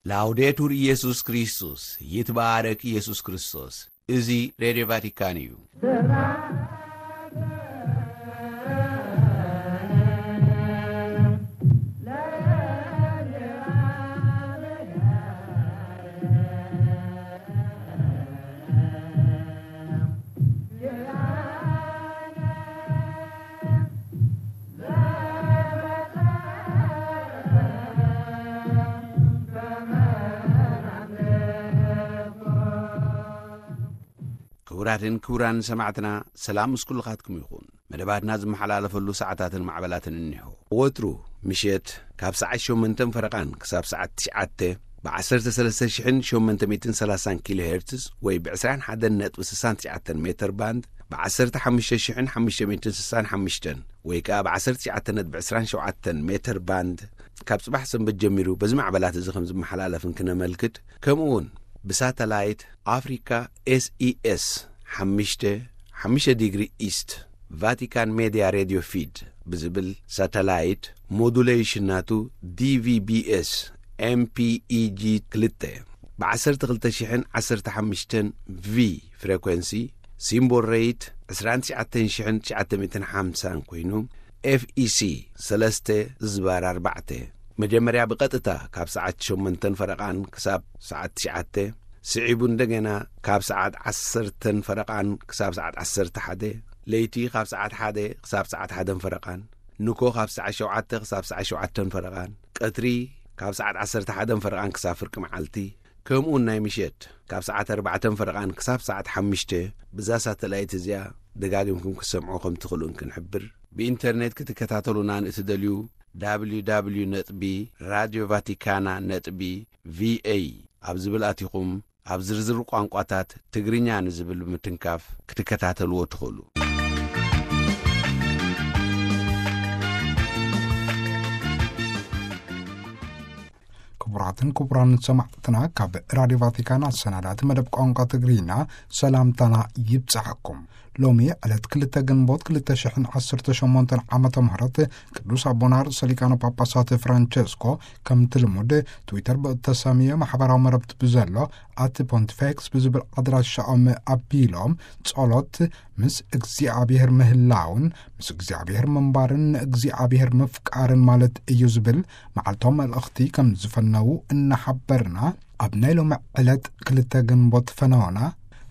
ላውዴቱር ኢየሱስ ክርስቶስ፣ ይትባረክ ኢየሱስ ክርስቶስ። እዚ ሬድዮ ቫቲካን እዩ። ክቡራትን ክቡራን ሰማዕትና፣ ሰላም ምስ ኩልኻትኩም ይኹን። መደባትና ዝመሓላለፈሉ ሰዓታትን ማዕበላትን እኒሆ። ወትሩ ምሸት ካብ ሰዓት ሸሞንተን ፈረቓን ክሳብ ሰዓት ትሽዓተ ብ ዓሰርተ ሰለስተ ሽሕን ሸሞንተ ሚእትን ሰላሳን ኪሎ ሄርትዝ ወይ ብ ዕስራን ሓደን ነጥቢ ስሳን ትሽዓተን ሜተር ባንድ፣ ብ ዓሰርተ ሓሙሽተ ሽሕን ሓሙሽተ ሚእትን ስሳን ሓሙሽተን ወይ ከኣ ብ ዓሰርተ ትሽዓተ ነጥቢ ዕስራን ሸውዓተን ሜተር ባንድ፣ ካብ ጽባሕ ሰንበት ጀሚሩ በዚ ማዕበላት እዚ ከም ዝመሓላለፍ እንክነመልክት፣ ከምኡ እውን ብሳተላይት ኣፍሪካ ኤስኢኤስ ሓሙሽተ፣ ሓሙሽተ ዲግሪ ኢስት፣ ቫቲካን ሜድያ ሬድዮ ፊድ ብዝብል ሳተላይት፣ ሞዱሌሽን ናቱ ዲቪቢኤስ ኤምፒኢጂ ክልተ፣ ብ ዓሰርተ ክልተ ሽሕን ዓሰርተ ሓሙሽተን ቪ ፍሬኮንሲ፣ ሲምቦል ሬይት ዕስራን ትሽዓተን ሽሕን ትሽዓተ ሚእትን ሓምሳን ኮይኑ፣ ኤፍኢሲ ሰለስተ ዝባር ኣርባዕተ፣ መጀመርያ ብቐጥታ ካብ ሰዓት ሸሞንተን ፈረቓን ክሳብ ሰዓት ትሽዓተ፣ ስዒቡ እንደገና ካብ ሰዓት ዓሰርተን ፈረቓን ክሳብ ሰዓት ዓሰርተ ሓደ፣ ለይቲ ካብ ሰዓት ሓደ ክሳብ ሰዓት ሓደን ፈረቓን፣ ንኮ ካብ ሰዓት ሸውዓተ ክሳብ ሰዓት ሸውዓተን ፈረቓን፣ ቀትሪ ካብ ሰዓት ዓሰርተ ሓደን ፈረቓን ክሳብ ፍርቂ መዓልቲ፣ ከምኡውን ናይ ምሸት ካብ ሰዓት ኣርባዕተን ፈረቓን ክሳብ ሰዓት ሓሙሽተ፣ ብዛ ሳተላይት እዚኣ ደጋጊምኩም ክትሰምዑ ከም ትኽእሉ እንክንሕብር፣ ብኢንተርኔት ክትከታተሉና ንእትደልዩ፣ ደብሊው ደብሊው ደብሊው ነጥቢ ራድዮ ቫቲካና ነጥቢ ቪኤ ኣብ ዝብል ኣቲኹም፣ ኣብ ዝርዝር ቋንቋታት ትግርኛ ንዝብል ብምትንካፍ ክትከታተልዎ ትኽእሉ። ክቡራትን ክቡራን ሰማዕትና፣ ካብ ራድዮ ቫቲካን ኣሰናዳእቲ መደብ ቋንቋ ትግርኛ ሰላምታና ይብጻሕኩም። ሎሚ ዕለት ክልተ ግንቦት ክልተ ሽሕን ዓሰርተ ሸሞንተን ዓመተ ምህረት ቅዱስ ኣቦና ርእሰ ሊቃነ ጳጳሳት ፍራንቸስኮ ከምቲ ልሙድ ትዊተር ብእተሰምየ ማሕበራዊ መረብቲ ብዘሎ ኣቲ ፖንቲፌክስ ብዝብል ኣድራሻኦም ኣቢሎም ጸሎት ምስ እግዚኣብሔር ምህላውን ምስ እግዚኣብሔር ምንባርን ንእግዚኣብሔር ምፍቃርን ማለት እዩ ዝብል መዓልታዊ መልእኽቲ ከም ዝፈነዉ እናሓበርና፣ ኣብ ናይ ሎሚ ዕለት ክልተ ግንቦት ፈነወና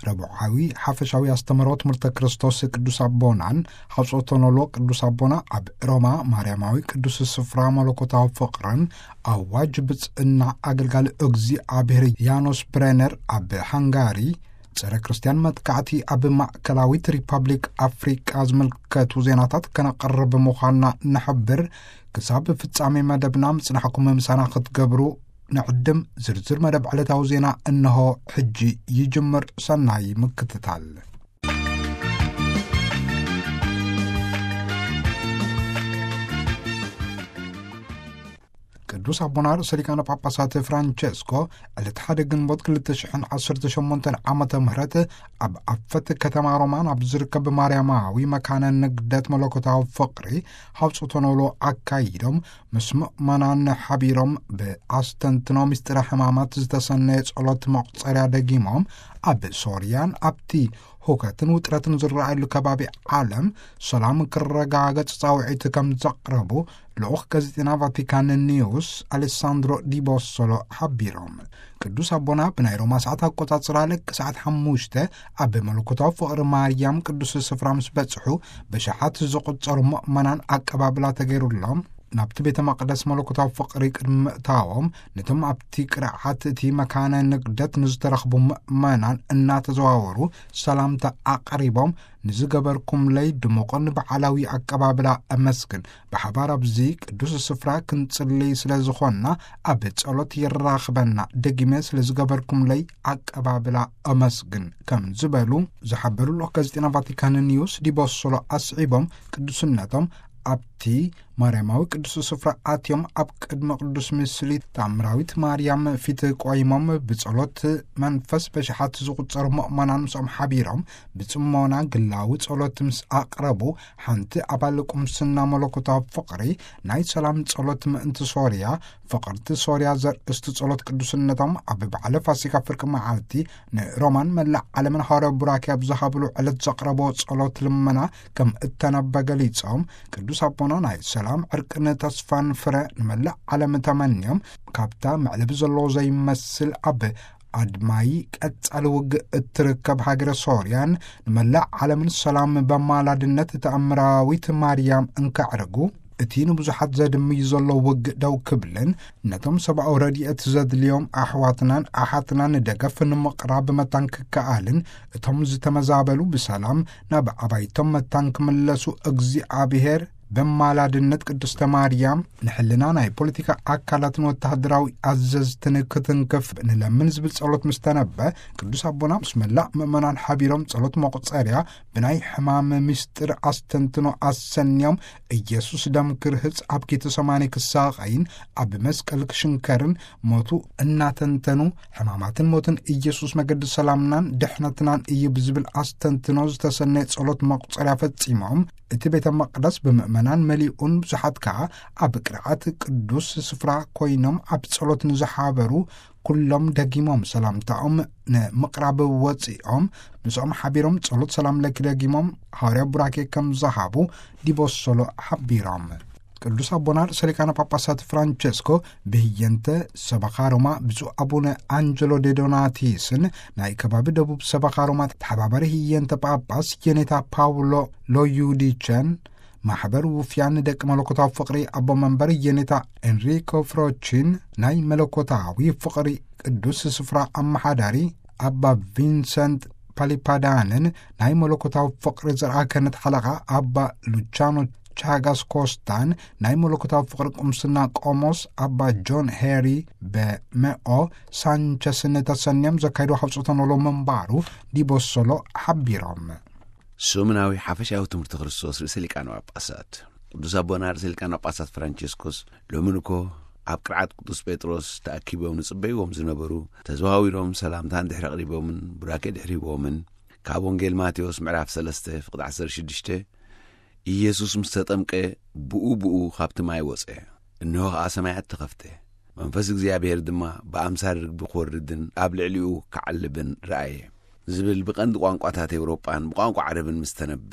ረቡዓዊ ሓፈሻዊ ኣስተምህሮ ትምህርተ ክርስቶስ ቅዱስ ኣቦናን ሓጾቶኖሎ ቅዱስ ኣቦና ኣብ ሮማ ማርያማዊ ቅዱስ ስፍራ መለኮታዊ ፍቕርን ኣዋጅ ብጽእና ኣገልጋሊ እግዚኣብሔር ያኖስ ብሬነር ኣብ ሃንጋሪ ጸረ ክርስትያን መጥቃዕቲ ኣብ ማእከላዊት ሪፐብሊክ ኣፍሪቃ ዝምልከቱ ዜናታት ከነቕርብ ምዃንና ንሕብር። ክሳብ ፍጻሜ መደብና ምጽናሕኩም ምሳና ክትገብሩ ንዕድም። ዝርዝር መደብ ዕለታዊ ዜና እንሆ ሕጂ ይጅምር። ሰናይ ምክትታል። ቅዱስ ኣቦና ርእሰ ሊቃነ ጳጳሳት ፍራንቸስኮ ዕለት ሓደ ግንቦት ክልተ ሽሕን ዓሰርተ ሸሞንተን ዓመተ ምህረት ኣብ ኣፈት ከተማ ሮማ ናብ ዝርከብ ማርያማዊ መካነ ንግደት መለኮታዊ ፍቕሪ ሓውፅቶ ነውሎ ኣካይዶም ምስ ምእመናን ሓቢሮም ብኣስተንትኖ ምስጢረ ሕማማት ዝተሰነየ ጸሎት መቑጸርያ ደጊሞም ኣብ ሶርያን ኣብቲ ሁከትን ውጥረትን ዝረኣየሉ ከባቢ ዓለም ሰላም ክረጋገጽ ጻውዒት ከም ዘቕረቡ ልኡኽ ጋዜጠና ቫቲካን ኒውስ ኣሌሳንድሮ ዲቦሶሎ ሓቢሮም። ቅዱስ ኣቦና ብናይ ሮማ ሰዓት ኣቆጻጽራ ልክ ሰዓት ሓሙሽተ ኣብ መለኮታዊ ፍቕሪ ማርያም ቅዱስ ስፍራ ምስ በጽሑ ብሽሓት ዝቑጸሩ ምእመናን ኣቀባብላ ተገይሩሎም ናብቲ ቤተ መቕደስ መለኮታዊ ፍቕሪ ቅድሚ ምእታዎም ነቶም ኣብቲ ቅርዓት እቲ መካነ ንግደት ንዝተረኽቡ ምእመናን እናተዘዋወሩ ሰላምታ ኣቕሪቦም ንዝገበርኩምለይ ድሙቕን በዓላዊ ኣቀባብላ ኣመስግን። ብሓባር ኣብዚ ቅዱስ ስፍራ ክንጽልይ ስለ ዝኾንና ኣብ ጸሎት የራኽበና። ደጊመ ስለ ዝገበርኩምለይ ኣቀባብላ ኣመስግን ከም ዝበሉ ዝሓበሩ ልኡኽ ጋዜጠና ቫቲካን ኒውስ ዲቦሶሎ ኣስዒቦም ቅዱስነቶም ኣብቲ ማርያማዊ ቅዱስ ስፍራ ኣትዮም ኣብ ቅድሚ ቅዱስ ምስሊ ታምራዊት ማርያም ፊት ቆይሞም ብጸሎት መንፈስ በሽሓት ዝቑጸሩ ምእመናን ምስኦም ሓቢሮም ብጽሞና ግላዊ ጸሎት ምስ ኣቕረቡ፣ ሓንቲ ኣባል ቁምስና መለኮታዊ ፍቕሪ ናይ ሰላም ጸሎት ምእንቲ ሶርያ፣ ፍቕርቲ ሶርያ ዘርእስቲ ጸሎት ቅዱስነቶም ኣብ በዓለ ፋሲካ ፍርቂ መዓልቲ ንሮማን መላእ ዓለምን ሃዋርያዊ ቡራኪ ኣብ ዝሃብሉ ዕለት ዘቕረቦ ጸሎት ልመና ከም እተነበ ገሊጾም፣ ቅዱስ ኣቦና ናይ ሰላም ዕርቅን ተስፋን ፍረ ንመላእ ዓለም ተመንዮም፣ ካብታ መዕለቢ ዘለዎ ዘይመስል ኣብ ኣድማይ ቀጻሊ ውግእ እትርከብ ሃገረ ሶርያን ንመላእ ዓለምን ሰላም በማላድነት ተኣምራዊት ማርያም እንከዕርጉ፣ እቲ ንብዙሓት ዘድምዩ ዘሎ ውግእ ደው ክብልን ነቶም ሰብኣዊ ረድኤት ዘድልዮም ኣሕዋትናን ኣሓትናን ደገፍ ንምቕራብ መታን ክከኣልን፣ እቶም ዝተመዛበሉ ብሰላም ናብ ኣባይቶም መታን ክምለሱ እግዚኣብሔር በማላድነት ቅድስተ ማርያም ንሕልና ናይ ፖለቲካ ኣካላትን ወተሃደራዊ ኣዘዝትን ክትንክፍ ንለምን ዝብል ጸሎት ምስ ተነበ፣ ቅዱስ ኣቦና ምስ መላእ ምእመናን ሓቢሮም ጸሎት መቑጸርያ ብናይ ሕማም ምስጢር ኣስተንትኖ ኣሰንዮም፣ ኢየሱስ ደም ክርህጽ ኣብ ጌተሰማኒ ክሳቐይን ኣብ መስቀል ክሽንከርን ሞቱ እናተንተኑ፣ ሕማማትን ሞትን ኢየሱስ መገዲ ሰላምናን ድሕነትናን እዩ ብዝብል ኣስተንትኖ ዝተሰነየ ጸሎት መቑጸርያ ፈጺሞም፣ እቲ ቤተ መቕደስ ብምእመናን መሊኡን ብዙሓት ከኣ ኣብ ቅርዓት ቅዱስ ስፍራ ኮይኖም ኣብ ጸሎት ንዝሓበሩ ኩሎም ደጊሞም ሰላምታኦም ንምቕራብ ወጺኦም፣ ምስኦም ሓቢሮም ጸሎት ሰላም ለኪ ደጊሞም ሃዋርያ ቡራኬ ከም ዝሃቡ ዲቦሶሎ ሓቢሮም። ቅዱስ ኣቦና ርእሰ ሊቃነ ጳጳሳት ፍራንቸስኮ ብህየንተ ሰበኻ ሮማ ብፁዕ ኣቡነ ኣንጀሎ ዴዶናቲስን ናይ ከባቢ ደቡብ ሰበኻ ሮማ ተሓባባሪ ህየንተ ጳጳስ የኔታ ፓውሎ ሎዩዲቸን፣ ማሕበር ውፍያን ደቂ መለኮታዊ ፍቕሪ ኣቦ መንበር የኔታ ኤንሪኮ ፍሮቺን፣ ናይ መለኮታዊ ፍቕሪ ቅዱስ ስፍራ ኣመሓዳሪ ኣባ ቪንሰንት ፓሊፓዳንን፣ ናይ መለኮታዊ ፍቕሪ ዘርኣ ክህነት ሓለቓ ኣባ ሉቻኖ ቻጋስ ኮስታን፣ ናይ መለኮታዊ ፍቕሪ ቁምስና ቆሞስ ኣባ ጆን ሄሪ በመኦ ሳንቸስን ተሰንዮም ዘካይዶ ሃብጾተ ኖሎ ምንባሩ ዲቦሶሎ ሓቢሮም። ሰሙናዊ ሓፈሻዊ ትምህርቲ ክርስቶስ ርእሰ ሊቃነ ጳጳሳት። ቅዱስ ኣቦና ርእሰ ሊቃነ ጳጳሳት ፍራንቸስኮስ ሎሚ ንኮ ኣብ ቅርዓት ቅዱስ ጴጥሮስ ተኣኪቦም ንጽበይዎም ዝነበሩ ተዘዋዊሮም ሰላምታ እንድሕሪ ኣቕሪቦምን ቡራኬ ድሕሪ ሂቦምን፣ ካብ ወንጌል ማቴዎስ ምዕራፍ ሰለስተ ፍቕዲ ዓሰርተ ሽዱሽተ፣ ኢየሱስ ምስ ተጠምቀ ብኡ ብኡ ካብቲ ማይ ወጸ፣ እንሆ ኸኣ ሰማያት ተኸፍተ፣ መንፈስ እግዚኣብሔር ድማ ብኣምሳል ርግቢ ክወርድን ኣብ ልዕሊኡ ክዓልብን ረኣየ። ዝብል ብቐንዲ ቋንቋታት ኤውሮጳን ብቋንቋ ዓረብን ምስ ተነበ፣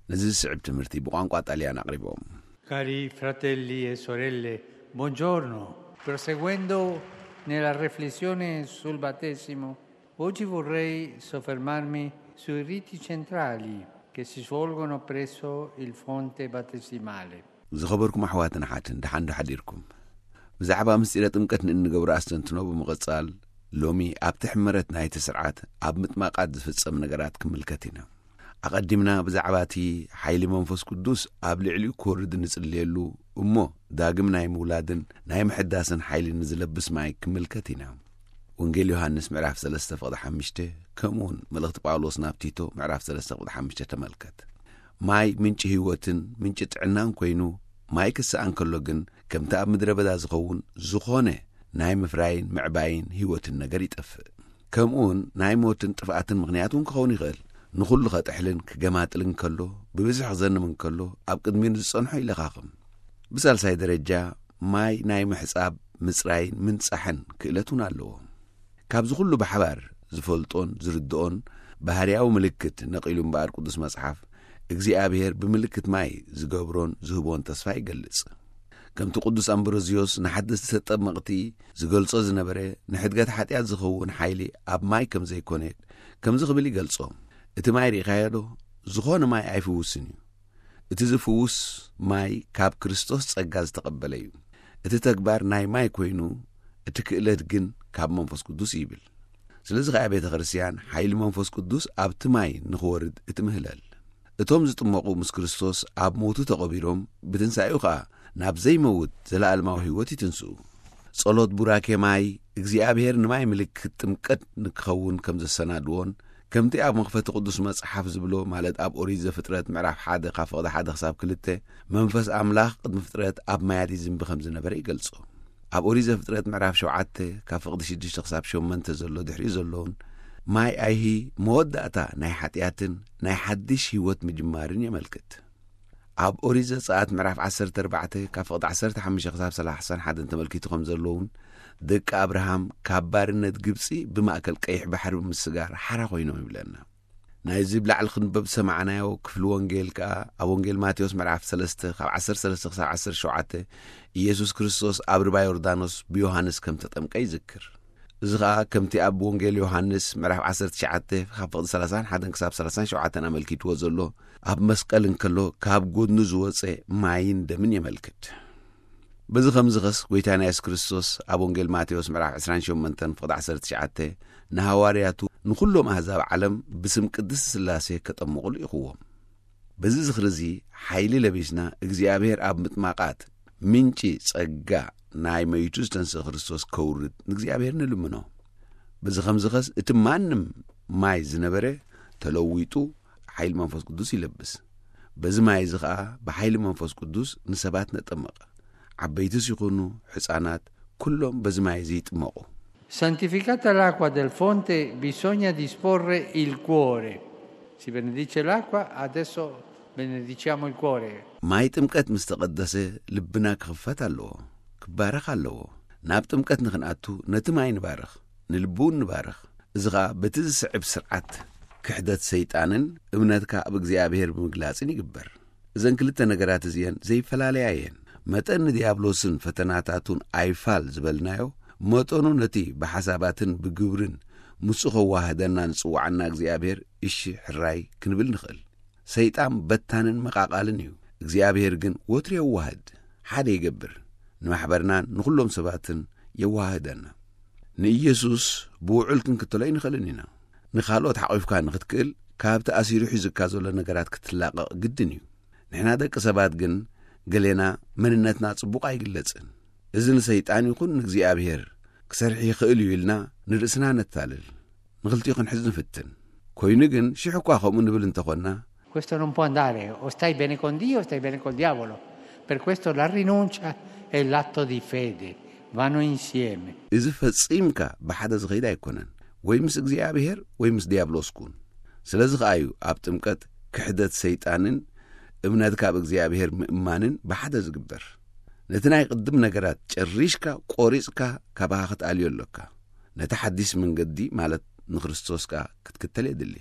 ነዚ ዝስዕብ ትምህርቲ ብቋንቋ ጣልያን ኣቕሪቦም። Cari fratelli e sorelle, buongiorno. Proseguendo nella riflessione sul battesimo, oggi vorrei soffermarmi sui riti centrali che si svolgono presso il fonte battesimale. ዝኸበርኩም ኣሕዋትን ኣሓትን፣ ደሓን ዶ ሓዲርኩም? ብዛዕባ ምስጢረ ጥምቀት ንእንገብሮ ኣስተንትኖ ብምቕጻል፣ ሎሚ ኣብቲ ሕመረት ናይቲ ስርዓት ኣብ ምጥማቓት ዝፍጸም ነገራት ክምልከት ኢና። ኣቐዲምና ብዛዕባ እቲ ሓይሊ መንፈስ ቅዱስ ኣብ ልዕሊኡ ክወርድ እንጽልየሉ፣ እሞ ዳግም ናይ ምውላድን ናይ ምሕዳስን ሓይሊ ንዝለብስ ማይ ክምልከት ኢና። ወንጌል ዮሃንስ ምዕራፍ ሰለስተ ፍቕዲ ሓሙሽተ፣ ከምኡውን መልእኽቲ ጳውሎስ ናብ ቲቶ ምዕራፍ ሰለስተ ፍቕዲ ሓሙሽተ ተመልከት። ማይ ምንጪ ህይወትን ምንጪ ጥዕናን ኮይኑ፣ ማይ ክሰኣን ከሎ ግን፣ ከምቲ ኣብ ምድረ በዳ ዝኸውን ዝኾነ ናይ ምፍራይን ምዕባይን ህይወትን ነገር ይጠፍእ። ከምኡውን ናይ ሞትን ጥፍኣትን ምኽንያት እውን ክኸውን ይኽእል። ንኹሉ ኸጥሕልን ክገማጥልን ከሎ፣ ብብዝሒ ክዘንም እንከሎ፣ ኣብ ቅድሚኡ ንዝጸንሖ ይለኻኽም። ብሳልሳይ ደረጃ፣ ማይ ናይ ምሕጻብ፣ ምጽራይን ምንጻሕን ክእለት እውን ኣለዎ። ካብዚ ኩሉ ብሓባር ዝፈልጦን ዝርድኦን ባህርያዊ ምልክት ነቒሉ እምበኣር ቅዱስ መጽሓፍ እግዚኣብሔር ብምልክት ማይ ዝገብሮን ዝህቦን ተስፋ ይገልጽ። ከምቲ ቅዱስ ኣምብሮዝዮስ ንሓደስቲ ተጠመቕቲ ዝገልጾ ዝነበረ፣ ንሕድገት ሓጢኣት ዝኸውን ሓይሊ ኣብ ማይ ከም ዘይኮነ ከምዚ ክብል ይገልጾ፣ "እቲ ማይ ርኢኻዮ ዶ? ዝኾነ ማይ ኣይፍውስን እዩ። እቲ ዝፍውስ ማይ ካብ ክርስቶስ ጸጋ ዝተቐበለ እዩ። እቲ ተግባር ናይ ማይ ኮይኑ፣ እቲ ክእለት ግን ካብ መንፈስ ቅዱስ እዩ" ይብል። ስለዚ ኸኣ ቤተ ክርስቲያን ሓይሊ መንፈስ ቅዱስ ኣብቲ ማይ ንኽወርድ እትምህለል። እቶም ዝጥመቑ ምስ ክርስቶስ ኣብ ሞቱ ተቐቢሮም፣ ብትንሳኤኡ ኸኣ ናብ ዘይመውት ዘለኣለማዊ ህይወት ይትንስኡ። ጸሎት ቡራኬ ማይ እግዚኣብሔር ንማይ ምልክት ጥምቀት ንክኸውን ከም ዘሰናድዎን ከምቲ ኣብ መኽፈቲ ቅዱስ መጽሓፍ ዝብሎ፣ ማለት ኣብ ኦሪት ዘፍጥረት ምዕራፍ ሓደ ካብ ፍቕዲ ሓደ ክሳብ ክልተ፣ መንፈስ ኣምላኽ ቅድሚ ፍጥረት ኣብ ማያት ይዝንቢ ከም ዝነበረ ይገልጾ። ኣብ ኦሪት ዘፍጥረት ምዕራፍ ሸውዓተ ካብ ፍቕዲ ሽዱሽተ ክሳብ ሸሞንተ ዘሎ ድሕሪኡ ዘለውን፣ ማይ ኣይሂ መወዳእታ ናይ ሓጢኣትን ናይ ሓድሽ ህይወት ምጅማርን የመልክት። ኣብ ኦሪት ዘጸኣት ምዕራፍ ዓሰርተ ኣርባዕተ ካብ ፍቕዲ ዓሰርተ ሓሙሽተ ክሳብ ሰላሳን ሓደን ተመልኪቱ ከም ዘለውን፣ ደቂ ኣብርሃም ካብ ባርነት ግብጺ ብማእከል ቀይሕ ባሕሪ ብምስጋር ሓራ ኮይኖም ይብለና። ናይዚ ብላዕሊ ክንበብ ዝሰማዕናዮ ክፍሊ ወንጌል ከኣ ኣብ ወንጌል ማቴዎስ ምዕራፍ ሰለስተ ካብ ዓሰርተ ሰለስተ ክሳብ ዓሰርተ ሸውዓተ፣ ኢየሱስ ክርስቶስ ኣብ ርባ ዮርዳኖስ ብዮሃንስ ከም ተጠምቀ ይዝክር። እዚ ኸኣ ከምቲ ኣብ ወንጌል ዮሃንስ ምዕራፍ ዓሰርተ ትሽዓተ ካብ ፍቕዲ ሰላሳን ሓደን ክሳብ ሰላሳን ሸውዓተን ኣመልኪትዎ ዘሎ፣ ኣብ መስቀል እንከሎ ካብ ጎድኑ ዝወጸ ማይን ደምን የመልክት። በዚ ኸምዚ ኸስ፣ ጐይታና የሱስ ክርስቶስ ኣብ ወንጌል ማቴዎስ ምዕራፍ ዕስራን ሸሞንተን ፍቕዲ ዓሰርተ ትሽዓተ ንሃዋርያቱ፣ ንኹሎም ኣህዛብ ዓለም ብስም ቅድስቲ ስላሴ ከጠምቑ ልኢኽዎም። በዚ ዝኽሪ እዚ ሓይሊ ለቢስና፣ እግዚኣብሔር ኣብ ምጥማቓት ምንጪ ጸጋ ናይ መይቱ ዝተንስእ ክርስቶስ ከውርድ ንእግዚኣብሔር ንልምኖ። በዚ ኸምዚ ኸስ፣ እቲ ማንም ማይ ዝነበረ ተለዊጡ ሓይሊ መንፈስ ቅዱስ ይለብስ። በዚ ማይ እዚ ኸኣ ብሓይሊ መንፈስ ቅዱስ ንሰባት ነጠምቕ። ዓበይትስ ይኹኑ ሕፃናት፣ ኩሎም በዚ ማይ እዚ ይጥመቑ። Santificata l'acqua del fonte, bisogna disporre il cuore. Si benedice l'acqua, adesso benediciamo il cuore. ማይ ጥምቀት ምስ ተቐደሰ፣ ልብና ክኽፈት ኣለዎ፣ ክባረኽ ኣለዎ። ናብ ጥምቀት ንኽንኣቱ ነቲ ማይ ንባርኽ፣ ንልቢ እውን ንባርኽ። እዚ ኸኣ በቲ ዝስዕብ ስርዓት ክሕደት ሰይጣንን እምነትካ ኣብ እግዚኣብሔር ብምግላጽን ይግበር። እዘን ክልተ ነገራት እዚአን ዘይፈላለያ እየን። መጠን ንዲያብሎስን ፈተናታቱን ኣይፋል ዝበልናዮ፣ መጠኑ ነቲ ብሓሳባትን ብግብርን ምስኡ ኸዋህደና ንጽውዓና እግዚኣብሔር እሺ ሕራይ ክንብል ንኽእል። ሰይጣን በታንን መቓቓልን እዩ። እግዚኣብሔር ግን ወትሩ የዋህድ፣ ሓደ ይገብር፣ ንማሕበርናን ንኹሎም ሰባትን የዋህደና። ንኢየሱስ ብውዑል ክንክተሎ ኣይንኽእልን ኢና። ንኻልኦት ሓቒፍካ ንኽትክእል፣ ካብቲ ኣሲሩ ሒዙካ ዘሎ ነገራት ክትላቐቕ ግድን እዩ። ንሕና ደቂ ሰባት ግን፣ ገሌና መንነትና ጽቡቕ ኣይግለጽን። እዚ ንሰይጣን ይኹን ንእግዚኣብሔር ክሰርሕ ይኽእል እዩ ኢልና ንርእስና ነታልል። ንኽልቲኡ ክንሕዝ ንፍትን። ኮይኑ ግን፣ ሽሕ እኳ ከምኡ ንብል እንተኾንና፣ Questo non può andare, o stai bene con Dio o stai bene col diavolo. Per questo la rinuncia e l'atto di fede vanno insieme. እዚ ፈጺምካ ብሓደ ዝኸይድ ኣይኮነን። ወይ ምስ እግዚኣብሔር ወይ ምስ ዲያብሎስ ኩን። ስለዚ ኸኣ እዩ ኣብ ጥምቀት ክሕደት ሰይጣንን እምነትካ ኣብ እግዚኣብሔር ምእማንን ብሓደ ዝግበር። ነቲ ናይ ቅድም ነገራት ጨሪሽካ፣ ቆሪጽካ፣ ካባኻ ክትኣልዮ ኣሎካ። ነቲ ሓዲስ መንገዲ፣ ማለት ንክርስቶስ ከኣ ክትክተል የድሊ።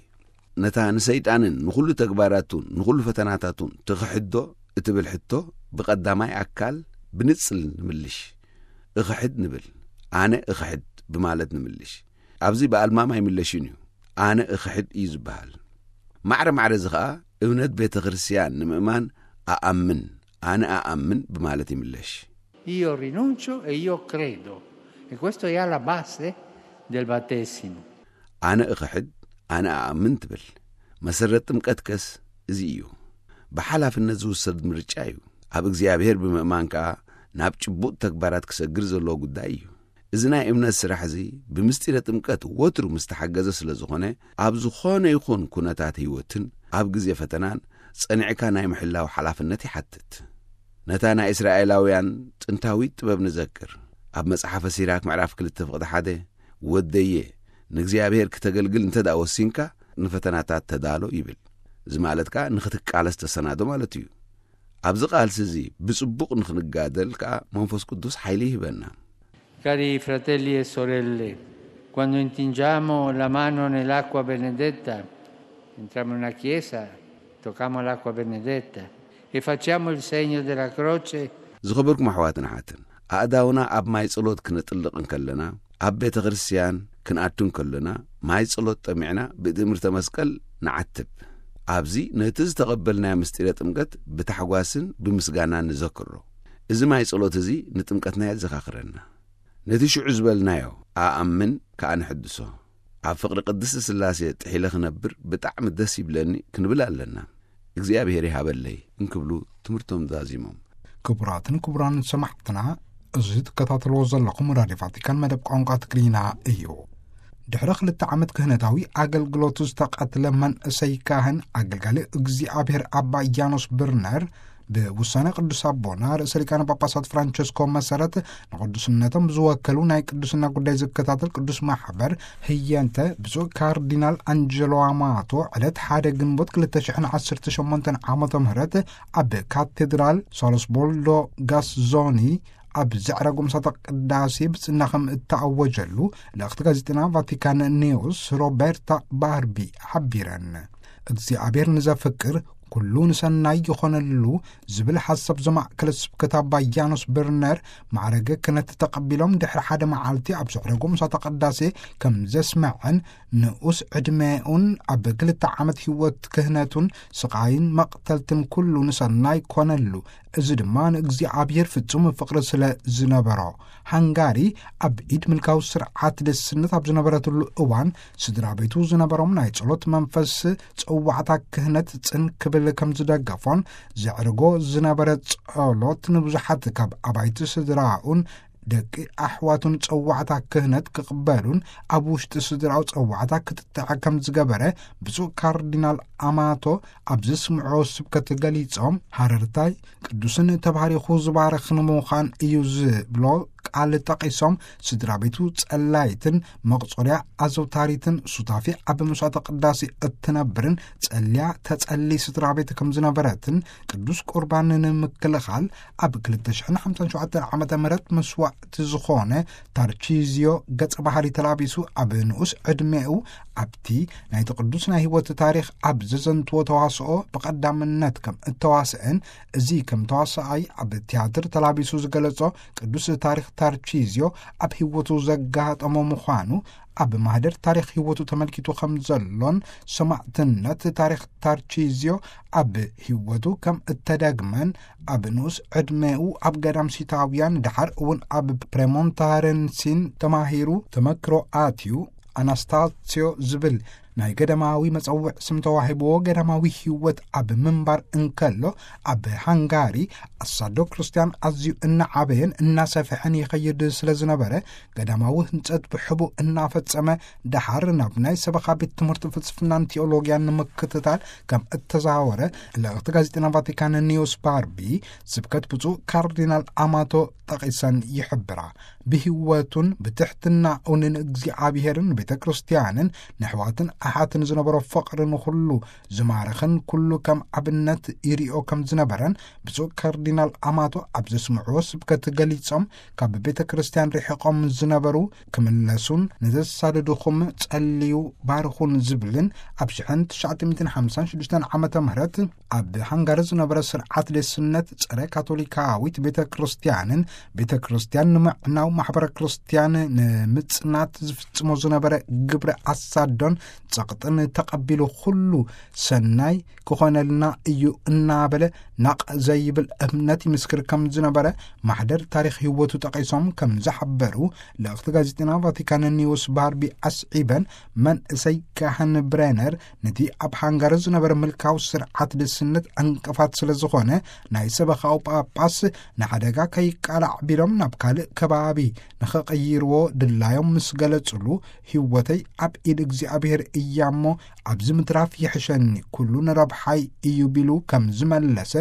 ነታ ንሰይጣንን ንኹሉ ተግባራቱን ንኹሉ ፈተናታቱን ትኽሕዶ እትብል ሕቶ ብቐዳማይ ኣካል ብንጽል ንምልሽ። እኽሕድ ንብል። ኣነ እኽሕድ ብማለት ንምልሽ። ኣብዚ ብኣልማም ኣይምለሽን እዩ። ኣነ እኽሕድ እዩ ዝበሃል። ማዕረ ማዕረ እዚ ኸኣ እምነት ቤተ ክርስቲያን ንምእማን ኣኣምን፣ ኣነ ኣኣምን ብማለት ይምለሽ። Io rinuncio e io credo. E questo è alla base del battesimo. ኣነ እኽሕድ፣ ኣነ ኣኣምን ትብል። መሰረት ጥምቀት ከስ እዚ እዩ። ብሓላፍነት ዝውሰድ ምርጫ እዩ። ኣብ እግዚኣብሔር ብምእማን ከኣ ናብ ጭቡጥ ተግባራት ክሰግር ዘለዎ ጉዳይ እዩ። እዚ ናይ እምነት ስራሕ እዚ ብምስጢረ ጥምቀት ወትሩ ምስ ተሓገዘ ስለ ዝኾነ፣ ኣብ ዝኾነ ይኹን ኩነታት ህይወትን ኣብ ግዜ ፈተናን ጸኒዕካ ናይ ምሕላው ሓላፍነት ይሓትት። ነታ ናይ እስራኤላውያን ጥንታዊት ጥበብ ንዘክር። ኣብ መጽሓፈ ሲራክ ምዕራፍ ክልተ ፍቕዲ ሓደ፣ "ወደየ፣ ንእግዚኣብሔር ክተገልግል እንተ ደኣ ወሲንካ፣ ንፈተናታት ተዳሎ" ይብል። እዚ ማለት ከኣ ንኽትቃለስ ተሰናዶ ማለት እዩ። ኣብዚ ቃልሲ እዚ ብጽቡቕ ንኽንጋደል ከኣ መንፈስ ቅዱስ ሓይሊ ይህበና። Cari fratelli e sorelle, quando intingiamo la mano nell'acqua benedetta, entriamo in una chiesa, tocchiamo l'acqua benedetta e facciamo il segno della croce. ዝኸበርኩም ኣሕዋትን ኣሓትን፣ ኣእዳውና ኣብ ማይ ጸሎት ክነጥልቕ እንከለና፣ ኣብ ቤተ ክርስቲያን ክንኣቱ እንከለና፣ ማይ ጸሎት ጠሚዕና ብትእምርተ መስቀል ንዓትብ። ኣብዚ ነቲ ዝተቐበልናዮ ምስጢረ ጥምቀት ብታሕጓስን ብምስጋናን ንዘክሮ። እዚ ማይ ጸሎት እዚ ንጥምቀትና የዘኻኽረና። ነቲ ሽዑ ዝበልናዮ ኣኣምን ከኣ ንሕድሶ። ኣብ ፍቕሪ ቅድስቲ ስላሴ ጥሒለ ክነብር ብጣዕሚ ደስ ይብለኒ ክንብል ኣለና። እግዚኣብሔር ይሃበለይ እንክብሉ ትምህርቶም ዛዚሞም። ክቡራትን ክቡራን ሰማዕትና፣ እዚ ትከታተልዎ ዘለኹም ራድዮ ቫቲካን መደብ ቋንቋ ትግርኛ እዩ። ድሕሪ ክልተ ዓመት ክህነታዊ ኣገልግሎቱ ዝተቐትለ መንእሰይ ካህን ኣገልጋሊ እግዚኣብሔር ኣባ ያኖስ ብርነር፣ ብውሳነ ቅዱስ ኣቦና ርእሰ ሊቃነ ጳጳሳት ፍራንቸስኮ መሰረት፣ ንቅዱስነቶም ዝወከሉ ናይ ቅዱስና ጉዳይ ዝከታተል ቅዱስ ማሕበር ህየንተ ብፁዕ ካርዲናል ኣንጀሎ ኣማቶ ዕለት ሓደ ግንቦት ክልተ ሽሕን ዓሰርተ ሸሞንተን ዓመተ ምህረት ኣብ ካቴድራል ሳልስቦልዶ ጋስዞኒ ኣብ ዘዕረጎ ምሳተ ቅዳሴ ብጽና ከም እተኣወጀሉ ልእኽቲ ጋዜጠና ቫቲካን ኒውስ ሮበርታ ባርቢ ሓቢረን። እግዚኣብሔር ንዘፍቅር ኩሉ ንሰናይ ይኾነሉ ዝብል ሓሳብ ዘማእከለ ስብከት ኣባ ያኖስ ብርነር፣ ማዕረገ ክህነት ተቐቢሎም ድሕሪ ሓደ መዓልቲ ኣብ ዘዕረጎ ምሳተ ቅዳሴ ከም ዘስመዐን፣ ንኡስ ዕድሜኡን ኣብ ክልተ ዓመት ህይወት ክህነቱን ስቓይን መቕተልትን ኩሉ ንሰናይ ኮነሉ። እዚ ድማ ንእግዚኣብሔር ፍጹም ፍቕሪ ስለ ዝነበሮ። ሃንጋሪ ኣብ ኢድ ምልካዊ ስርዓት ደስነት ኣብ ዝነበረትሉ እዋን፣ ስድራ ቤቱ ዝነበሮም ናይ ጸሎት መንፈስ ጸዋዕታ ክህነት ጽን ክብል ከም ዝደገፎን፣ ዘዕርጎ ዝነበረ ጸሎት ንብዙሓት ካብ ኣባይቲ ስድራኡን ደቂ ኣሕዋቱን ጸዋዕታ ክህነት ክቕበሉን ኣብ ውሽጢ ስድራኡ ጸዋዕታ ክትጥዐ ከም ዝገበረ ብፁዕ ካርዲናል ኣማቶ ኣብ ዘስምዖ ስብከት ገሊጾም፣ ሃረርታይ ቅዱስን ተባሪኹ ዝባረኽ ንምዃን እዩ ዝብሎ ቃል ጠቒሶም፣ ስድራ ቤቱ ጸላይትን መቑጸርያ ኣዘውታሪትን ሱታፊ ኣብ መስዋዕተ ቅዳሴ እትነብርን ጸልያ ተጸሊ ስድራ ቤት ከም ዝነበረትን፣ ቅዱስ ቁርባን ንምክልኻል ኣብ ክልተ ሽሕን ሓምሳን ሸውዓተን ዓመተ ምህረት መስዋዕቲ ዝኾነ ታርቺዝዮ ገጸ ባህሪ ተላቢሱ ኣብ ንኡስ ዕድሜኡ ኣብቲ ናይቲ ቅዱስ ናይ ህይወት ታሪኽ ኣብ ዘዘንትዎ ተዋስኦ ብቐዳምነት ከም እተዋስአን፣ እዚ ከም ተዋሳኣይ ኣብ ቲያትር ተላቢሱ ዝገለጾ ቅዱስ ታሪኽ ታርቺዝዮ ኣብ ህይወቱ ዘጋጠሞ ምዃኑ፣ ኣብ ማህደር ታሪኽ ህይወቱ ተመልኪቱ ከም ዘሎን፣ ሰማዕትነት ታሪኽ ታርቺዝዮ ኣብ ህይወቱ ከም እተደግመን፣ ኣብ ንኡስ ዕድሜኡ ኣብ ገዳም ሲታውያን፣ ደሓር እውን ኣብ ፕሬሞንታረንሲን ተማሂሩ፣ ተመክሮ ኣትዩ፣ ኣናስታስዮ ዝብል ናይ ገዳማዊ መጸውዕ ስም ተዋሂብዎ፣ ገዳማዊ ህይወት ኣብ ምንባር እንከሎ፣ ኣብ ሃንጋሪ ኣሳዶ ክርስትያን ኣዝዩ እናዓበየን እናሰፍሐን ይኸይድ ስለ ዝነበረ፣ ገዳማዊ ህንጸት ብሕቡእ እናፈጸመ፣ ደሓር ናብ ናይ ሰበኻ ቤት ትምህርቲ ፍልስፍናን ቲኦሎጊያን ንምክትታል ከም እተዛወረ፣ ልእኽቲ ጋዜጠና ቫቲካን ኒውስ ባርቢ ስብከት ብፁዕ ካርዲናል ኣማቶ ጠቒሰን ይሕብራ። ብህይወቱን ብትሕትናኡን ንእግዚኣብሔርን ቤተ ክርስቲያንን ንኣሕዋትን ኣሓትን ዝነበሮ ፍቕሪ ንኹሉ ዝማረኸን ኩሉ ከም ኣብነት ይሪኦ ከም ዝነበረን ብፁዕ ካርዲናል ኣማቶ ኣብ ዘስምዕዎ ስብከት ገሊጾም፣ ካብ ቤተ ክርስቲያን ርሒቖም ዝነበሩ ክምለሱን ንዘሳደዱኹም ጸልዩ ባርኹን ዝብልን ኣብ ሽሕን ትሽዓተ ሚእትን ሓምሳን ሽዱሽተን ዓመተ ምህረት ኣብ ሃንጋሪ ዝነበረ ስርዓት ደስነት ጸረ ካቶሊካዊት ቤተ ክርስቲያንን ቤተ ክርስቲያን ንምዕናው ማሕበረ ክርስቲያን ንምጽናት ዝፍጽሞ ዝነበረ ግብረ ኣሳዶን ጸቕጥን ተቐቢሉ ኩሉ ሰናይ ክኾነልና እዩ እናበለ ናቕ ዘይብል እምነት ይምስክር ከም ዝነበረ ማሕደር ታሪኽ ህይወቱ ጠቒሶም ከም ዝሓበሩ ልእኽቲ ጋዜጠና ቫቲካን ኒውስ ባርቢ ኣስዒበን፣ መንእሰይ ካህን ብሬነር ነቲ ኣብ ሃንጋሪ ዝነበረ ምልካዊ ስርዓት ደስነት ዕንቅፋት ስለ ዝኾነ፣ ናይ ሰበኻዊ ጳጳስ ንሓደጋ ከይቃላዕ ቢሎም ናብ ካልእ ከባቢ ንኸቐይርዎ ድላዮም ምስ ገለጹሉ፣ ህይወተይ ኣብ ኢድ እግዚኣብሔር እያ እሞ፣ ኣብዚ ምትራፍ ይሕሸኒ፣ ኩሉ ንረብሓይ እዩ ቢሉ ከም ዝመለሰ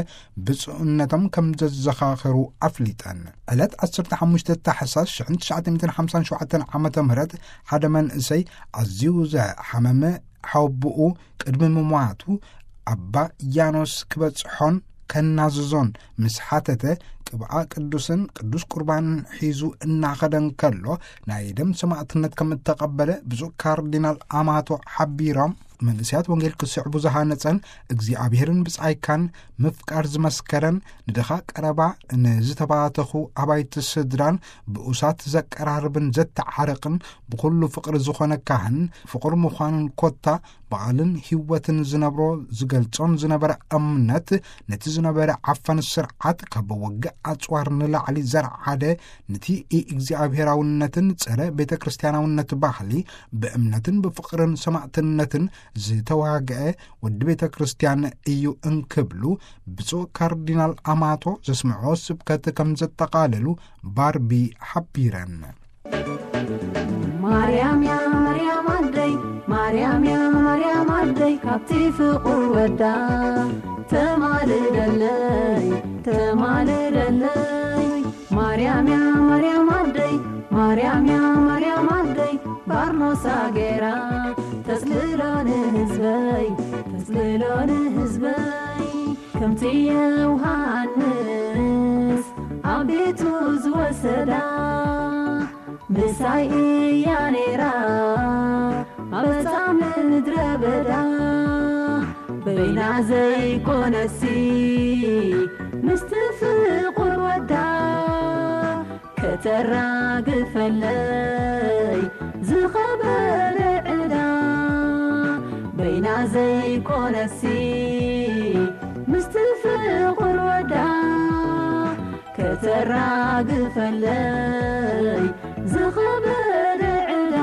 ብፁዕነቶም ከም ዘዘኻኸሩ ኣፍሊጠን። ዕለት ዓሰርተ ሓሙሽተ ታሕሳስ ሽሕን ትሽዓተ ሚእትን ሓምሳን ሸውዓተን ዓመተ ምህረት ሓደ መንእሰይ ኣዝዩ ዘሓመመ ሓወቦኡ ቅድሚ ምሟቱ ኣባ ያኖስ ክበጽሖን ከናዝዞን ምስ ሓተተ፣ ቅብኣ ቅዱስን ቅዱስ ቁርባንን ሒዙ እናኸደ እንከሎ ናይ ደም ሰማዕትነት ከም እተቐበለ ብፁዕ ካርዲናል ኣማቶ ሓቢሮም፣ መንእሰያት ወንጌል ክስዕቡ ዝሃነጸን እግዚኣብሔርን ብጻይካን ምፍቃር ዝመስከረን፣ ንድኻ ቀረባ ንዝተባተኹ ኣባይቲ ስድራን ብኡሳት ዘቀራርብን ዘተዓርቕን ብኹሉ ፍቕሪ ዝኾነ ካህን ፍቑር ምዃኑን ኮታ ብቓልን ህይወትን ዝነብሮ ዝገልጾን ዝነበረ እምነት፣ ነቲ ዝነበረ ዓፋን ስርዓት ካብ ውግእ ኣጽዋር ንላዕሊ ዘርዓደ፣ ነቲ ኢእግዚኣብሔራውነትን ጸረ ቤተ ክርስቲያናውነት ባህሊ ብእምነትን ብፍቕርን ሰማዕትነትን ዝተዋግአ ወዲ ቤተ ክርስቲያን እዩ እንክብሉ ብፁዕ ካርዲናል ኣማቶ ዘስምዖ ስብከት ከም ዘጠቓለሉ ባርቢ ሓቢረን። ማርያም ያ ማርያም ካብቲ ፍቑር ወዳ ተማልደለይ፣ ተማልደለይ። ማርያም እያ፣ ማርያም ኣደይ፣ ማርያም እያ፣ ማርያም ኣደይ። ባርኖሳ ገይራ ተጽልሎ ንህዝበይ፣ ተጽልሎ ንህዝበይ። ከምቲ ዮሃንስ ኣብ ቤቱ ዝወሰዳ፣ ምሳይ እያ ነይራ ኣብ ጻም ምድረ በዳ። በይና ዘይኮነሲ ምስቲ ፍቑር ወዳ፣ ከተራግፈለይ ዝኸበደ ዕዳ። በይና ዘይኮነሲ ምስቲ ፍቑር ወዳ፣ ከተራግፈለይ ዝኸበደ ዕዳ።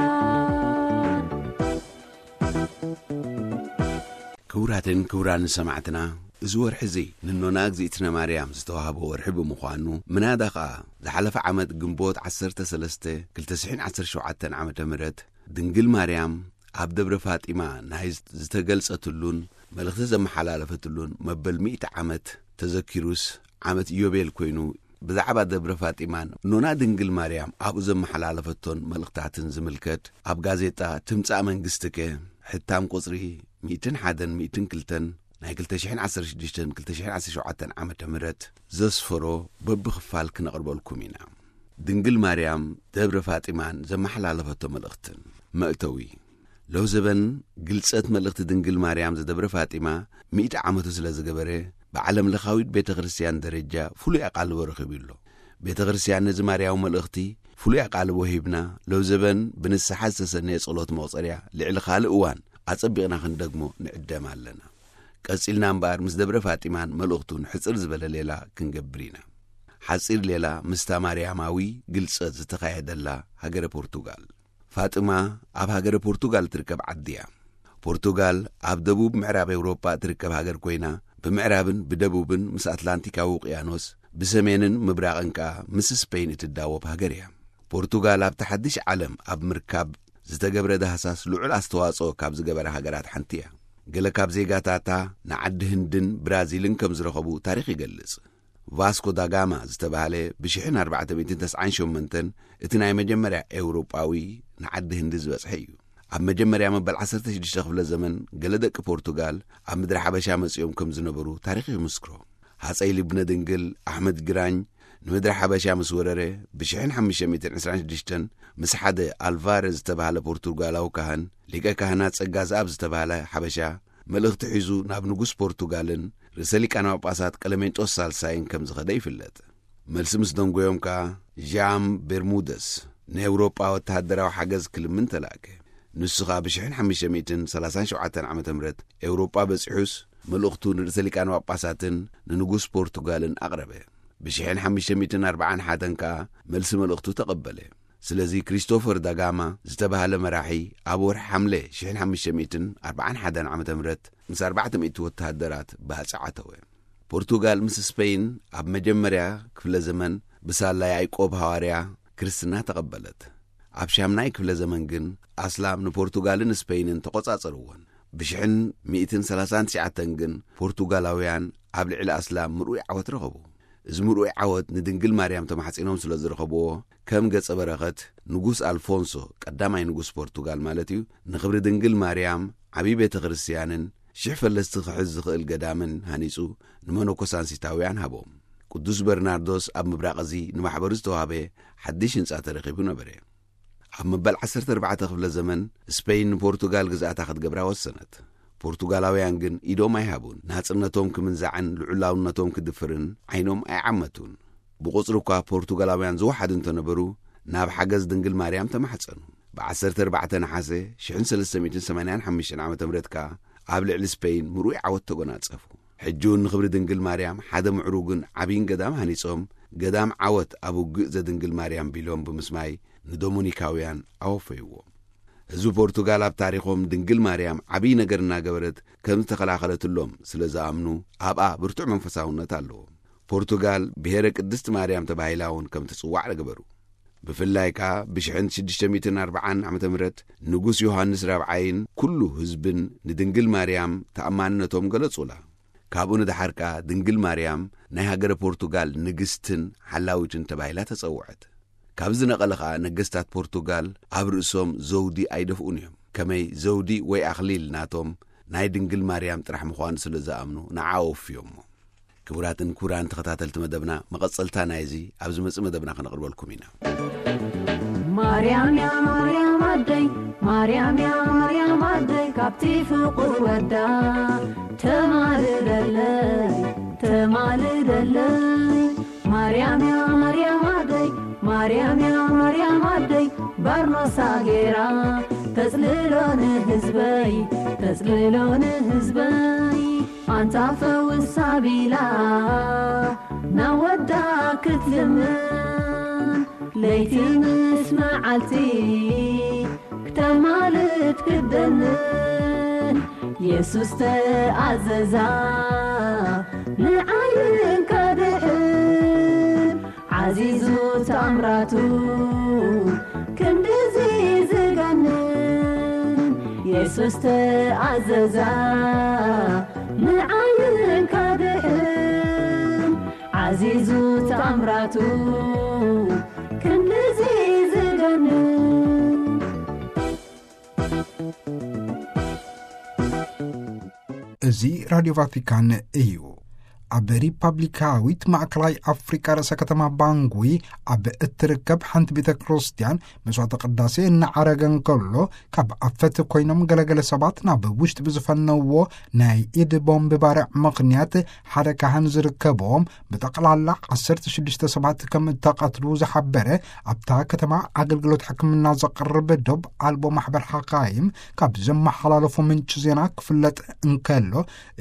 ክቡራትን ክቡራን ሰማዕትና፣ እዚ ወርሒ እዚ ንኖና እግዚኣብነ ማርያም ዝተዋህበ ወርሒ ብምዃኑ፣ ምናዳ ኸኣ ዝሓለፈ ዓመት ግንቦት ዓሰርተ ሰለስተ ክልተ ሽሕን ዓሰርተ ሸውዓተን ዓመተ ምህረት ድንግል ማርያም ኣብ ደብረ ፋጢማ ናይ ዝተገልጸትሉን መልእኽቲ ዘመሓላለፈትሉን መበል ሚእቲ ዓመት ተዘኪሩስ፣ ዓመት ኢዮቤል ኮይኑ፣ ብዛዕባ ደብረ ፋጢማን ኖና ድንግል ማርያም ኣብኡ ዘመሓላለፈቶን መልእኽታትን ዝምልከት፣ ኣብ ጋዜጣ ትምጻእ መንግስትከ ሕታም ቁጽሪ ሚእትን ሓደን ሚእትን ክልተን ናይ ክልተ ሽሕን ዓሰርተ ሽዱሽተን ክልተ ሽሕን ዓሰርተ ሸውዓተን ዓመተ ምህረት ዘስፈሮ በብኽፋል ክነቕርበልኩም ኢና። ድንግል ማርያም ደብረ ፋጢማን ዘመሓላለፈቶ መልእኽትን። መእተዊ። ሎዘበን ግልጸት መልእኽቲ ድንግል ማርያም ዘደብረ ፋጢማ ሚእቲ ዓመቱ ስለ ዝገበረ፣ ብዓለም ለኻዊት ቤተ ክርስቲያን ደረጃ ፍሉይ ኣቓልቦ ረኺቡ ኣሎ። ቤተ ክርስቲያን ነዚ ማርያዊ መልእኽቲ ፍሉይ ኣቓልቦ ሂብና፣ ሎዘበን ብንስሓ ዝተሰነየ ጸሎት መቑጸርያ ልዕሊ ካልእ እዋን ኣጸቢቕና ክንደግሞ ንዕደም ኣለና። ቀጺልና እምበኣር ምስ ደብረ ፋጢማን መልእኽቱን ሕጽር ዝበለ ሌላ ክንገብር ኢና። ሓጺር ሌላ ምስታ ማርያማዊ ግልጸት ዝተኻየደላ ሃገረ ፖርቱጋል። ፋጥማ ኣብ ሃገረ ፖርቱጋል ትርከብ ዓዲ እያ። ፖርቱጋል ኣብ ደቡብ ምዕራብ ኤውሮጳ እትርከብ ሃገር ኮይና፣ ብምዕራብን ብደቡብን ምስ ኣትላንቲካዊ ውቅያኖስ፣ ብሰሜንን ምብራቕን ከኣ ምስ ስፔን እትዳወብ ሃገር እያ። ፖርቱጋል ኣብቲ ሓድሽ ዓለም ኣብ ምርካብ ዝተገብረ ዳህሳስ ልዑል ኣስተዋጽኦ ካብ ዝገበራ ሃገራት ሓንቲ እያ። ገለ ካብ ዜጋታታ ንዓዲ ህንድን ብራዚልን ከም ዝረኸቡ ታሪኽ ይገልጽ። ቫስኮ ዳጋማ ዝተባህለ ብሽሕን ኣርባዕተ ሚእትን ተስዓን ሸሞንተን እቲ ናይ መጀመርያ ኤውሮጳዊ ንዓዲ ህንዲ ዝበጽሐ እዩ። ኣብ መጀመርያ መበል ዓሰርተ ሽዱሽተ ክፍለ ዘመን ገለ ደቂ ፖርቱጋል ኣብ ምድሪ ሓበሻ መጺኦም ከም ዝነበሩ ታሪኽ ይምስክሮ። ሃጸይ ልብነ ድንግል ኣሕመድ ግራኝ ንምድሪ ሓበሻ ምስ ወረረ፣ ብሽሕን ሓሙሽተ ሚእትን ዕስራን ሽዱሽተን ምስ ሓደ ኣልቫረ ዝተባህለ ፖርቱጋላዊ ካህን፣ ሊቀ ካህናት ጸጋ ዘኣብ ዝተባህለ ሓበሻ፣ መልእኽቲ ሒዙ ናብ ንጉስ ፖርቱጋልን ርእሰ ሊቃነ ጳጳሳት ቀለሜንጦስ ሳልሳይን ከም ዝኸደ ይፍለጥ። መልሲ ምስ ደንጎዮም ከኣ፣ ዣም ቤርሙደስ ንኤውሮጳ ወተሃደራዊ ሓገዝ ክልምን ተላእከ። ንሱ ኸኣ ብሽሕን ሓሙሽተ ሚእትን ሰላሳን ሸውዓተን ዓመተ ምህረት ኤውሮጳ በጺሑስ፣ መልእኽቱ ንርእሰ ሊቃነ ጳጳሳትን ንንጉስ ፖርቱጋልን ኣቕረበ። ብሽሕን ሓሙሽተ ሚእትን ኣርባዓን ሓደን ከኣ መልሲ መልእኽቱ ተቐበለ። ስለዚ ክሪስቶፈር ዳጋማ ዝተባህለ መራሒ ኣብ ወርሒ ሓምለ ሽሕን ሓሙሽተ ሚእትን ኣርባዓን ሓደን ዓመተ ምህረት ምስ ኣርባዕተ ሚእቲ ወተሃደራት ባጽዕ ኣተወ። ፖርቱጋል ምስ ስፔን ኣብ መጀመርያ ክፍለ ዘመን ብሳላ ያዕቆብ ሃዋርያ ክርስትና ተቐበለት። ኣብ ሻምናይ ክፍለ ዘመን ግን ኣስላም ንፖርቱጋልን ስፔንን ተቖጻጸርወን። ብሽሕን ሚእትን ሰላሳን ትሽዓተን ግን ፖርቱጋላውያን ኣብ ልዕሊ ኣስላም ምርኡይ ዓወት ረኸቡ። እዚ ምርኡይ ዓወት ንድንግል ማርያም ተማሕጺኖም ስለ ዝረኸብዎ፣ ከም ገጸ በረኸት ንጉስ ኣልፎንሶ ቀዳማይ ንጉስ ፖርቱጋል ማለት እዩ፣ ንኽብሪ ድንግል ማርያም ዓብዪ ቤተ ክርስቲያንን ሽሕ ፈለስቲ ክሕዝ ዝኽእል ገዳምን ሃኒጹ ንመነኮሳንሲታውያን ሃቦም። ቅዱስ በርናርዶስ ኣብ ምብራቕ እዚ ንማሕበሩ ዝተዋህበ ሓድሽ ህንጻ ተረኺቡ ነበረ። ኣብ መበል ዓሰርተ ኣርባዕተ ክፍለ ዘመን ስፔን ንፖርቱጋል ግዝኣታ ክትገብራ ወሰነት። ፖርቱጋላውያን ግን ኢዶም ኣይሃቡን። ናጽነቶም ክምንዛዕን ልዑላውነቶም ክድፍርን ዓይኖም ኣይዓመቱን። ብቑጽሪ እኳ ፖርቱጋላውያን ዝወሓዱ እንተነበሩ፣ ናብ ሓገዝ ድንግል ማርያም ተማሕጸኑ። ብ ዓሰርተ ኣርባዕተ ነሓሰ ሽሕን ሰለስተ ሚእትን ሰማንያን ሓሙሽተን ዓመተ ምህረት ከኣ ኣብ ልዕሊ ስፔን ምሩይ ዓወት ተጎናጸፉ። ሕጂ እውን ንኽብሪ ድንግል ማርያም ሓደ ምዕሩግን ዓብይን ገዳም ሃኒጾም፣ ገዳም ዓወት ኣብ ውግእ ዘድንግል ማርያም ቢሎም ብምስማይ ንዶሞኒካውያን ኣወፈይዎ። ህዝቢ ፖርቱጋል ኣብ ታሪኾም ድንግል ማርያም ዓብይ ነገር እናገበረት ከም ዝተኸላኸለትሎም ስለ ዝኣምኑ ኣብኣ ብርቱዕ መንፈሳውነት ኣለዎም። ፖርቱጋል ብሔረ ቅድስት ማርያም ተባሂላ እውን ከም ትጽዋዕ ገበሩ። ብፍላይ ከኣ ብሽሕን ሽዱሽተ ሚእትን ኣርብዓን ዓመተ ምህረት ንጉስ ዮሃንስ ራብዓይን ኩሉ ህዝብን ንድንግል ማርያም ተኣማንነቶም ገለጹላ። ካብኡ ንደሓር ከኣ ድንግል ማርያም ናይ ሃገረ ፖርቱጋል ንግስትን ሓላዊትን ተባሂላ ተጸውዐት። ካብ ዝነቐለ ኸኣ ነገስታት ፖርቱጋል ኣብ ርእሶም ዘውዲ ኣይደፍኡን እዮም። ከመይ ዘውዲ ወይ ኣኽሊል ናቶም ናይ ድንግል ማርያም ጥራሕ ምዃኑ ስለ ዝኣምኑ ንዓ ኣወፍዮሞ። ክቡራትን ክቡራን ተኸታተልቲ መደብና፣ መቐጸልታ ናይዚ ኣብ ዝመጽእ መደብና ከነቕርበልኩም ኢና። ማርያም ያ ማርያም ኣደይ፣ ማርያም ያ ማርያም ኣደይ፣ ካብቲ ፍቑር ወዳ ተማልደለይ፣ ተማልደለይ። ማርያም ያ ማርያም ኣደይ፣ ማርያም ያ ማርያም ኣደይ፣ ባርኖሳ ጌራ ተጽልሎ ንህዝበይ፣ ተጽልሎ ንህዝበይ። ኣንታ ፈውስ ኣቢላ ናብ ወዳ ክትልምን፣ ለይቲ ምስ መዓልቲ ክተማልድ ክደንን፣ የሱስ ተኣዘዛ ንዓይን ከድሕን። ዓዚዙ ተኣምራቱ ክንድዚ ዝገንን፣ የሱስ ተኣዘዛ ንዓይን ከድሕን። ዓዚዙ ተኣምራቱ ክንድዚ ዝገንን። እዚ ራድዮ ቫቲካን እዩ። ኣብ ሪፓብሊካዊት ማእከላይ ኣፍሪቃ ርእሰ ከተማ ባንጉይ ኣብ እትርከብ ሓንቲ ቤተ ክርስቲያን መስዋዕተ ቅዳሴ እናዓረገ እንከሎ፣ ካብ ኣፈት ኮይኖም ገለገለ ሰባት ናብ ውሽጢ ብዝፈነዎ ናይ ኢድ ቦምብ ባርዕ ምኽንያት ሓደ ካህን ዝርከብዎም ብጠቕላላ ዓሰርተ ሽዱሽተ ሰባት ከም እተቐትሉ ዝሓበረ ኣብታ ከተማ ኣገልግሎት ሕክምና ዘቕርብ ዶብ ኣልቦ ማሕበር ሓካይም ካብ ዘመሓላለፎ ምንጪ ዜና ክፍለጥ እንከሎ፣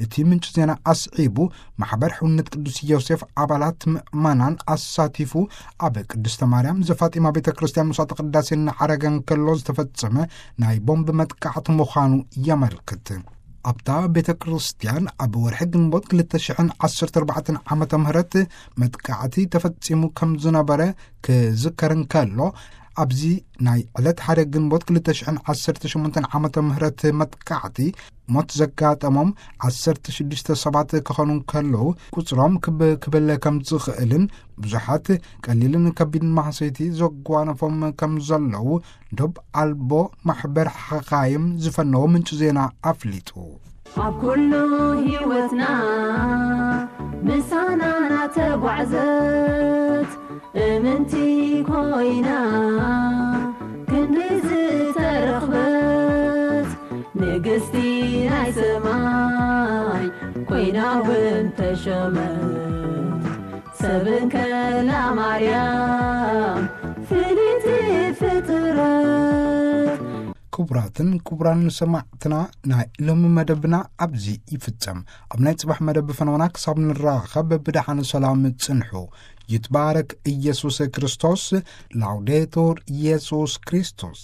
እቲ ምንጪ ዜና ኣስዒቡ፣ ማሕበር ሕውነት ቅዱስ ዮሴፍ ኣባላት ምእመናን ኣሳቲፉ ኣብ ቅድስተ ማርያም ዘፋጢማ ቤተ ክርስቲያን መስዋዕተ ቅዳሴ እናዓረገ እንከሎ ዝተፈጸመ ናይ ቦምብ መጥቃዕቲ ምዃኑ የመልክት። ኣብታ ቤተ ክርስቲያን ኣብ ወርሒ ግንቦት ክልተ ሽሕን ዓሰርተ ኣርባዕተን ዓመተ ምህረት መጥቃዕቲ ተፈጺሙ ከም ዝነበረ ክዝከር እንከሎ፣ ኣብዚ ናይ ዕለት ሓደ ግንቦት ክልተ ሽሕን ዓሰርተ ሸሞንተን ዓመተ ምህረት መጥቃዕቲ ሞት ዘጋጠሞም ዓሰርተ ሽዱሽተ ሰባት ክኾኑ እንከለዉ፣ ቁጽሮም ክብ ክብል ከም ዝኽእልን ብዙሓት ቀሊልን ከቢድን ማህሰይቲ ዘጓነፎም ከም ዘለዉ ዶብ ኣልቦ ማሕበር ሓኻይም ዝፈነዎ ምንጪ ዜና ኣፍሊጡ። ኣብ ኩሉ ህይወትና ምሳና ናተጓዕዘት እምንቲ ኮይና ክንዲ ዝተረኽበት ንግስቲ ናይ ሰማይ ኮይና እውን ተሾመት። ሰብን ከላ ማርያም ፍልይቲ ፍጥረት። ክቡራትን ክቡራን ሰማዕትና፣ ናይ ሎሚ መደብና ኣብዚ ይፍጸም። ኣብ ናይ ጽባሕ መደብ ፈነውና ክሳብ ንራኸብ ብደሓን ሰላም ጽንሑ። ይትባረክ ኢየሱስ ክርስቶስ። ላውዴቱር ኢየሱስ ክርስቶስ።